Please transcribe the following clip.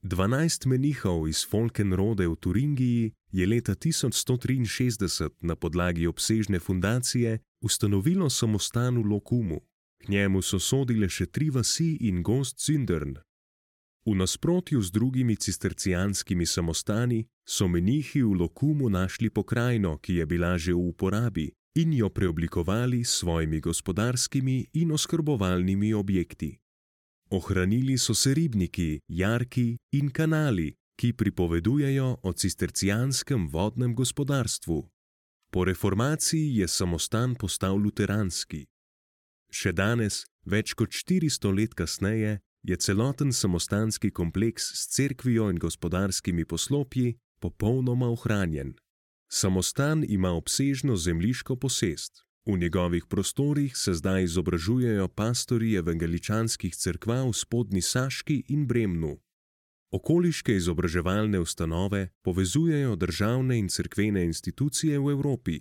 12 menihov iz Folkenrode v Turingiji je leta 1163 na podlagi obsežne fundacije ustanovilo samostan v Lokumu. K njemu so sodile še 3 vasi in gozd Zündern. V nasprotju z drugimi cistercijanskimi samostani so menihi v Lokumu našli pokrajino, ki je bila že v uporabi, in jo preoblikovali s svojimi gospodarskimi in oskrbovalnimi objekti. Ohranili so se ribniki, jarki in kanali, ki pripovedujejo o cistercijanskem vodnem gospodarstvu. Po reformaciji je samostan postal luteranski. Še danes, več kot 400 let kasneje, je celoten samostanski kompleks s cerkvijo in gospodarskimi poslopji popolnoma ohranjen. Samostan ima obsežno zemljiško posest. V njegovih prostorih se zdaj izobražujejo pastorji evangeličanskih cerkva v Spodnji Saški in Bremnu. Okoliške izobraževalne ustanove povezujejo državne in cerkvene institucije v Evropi,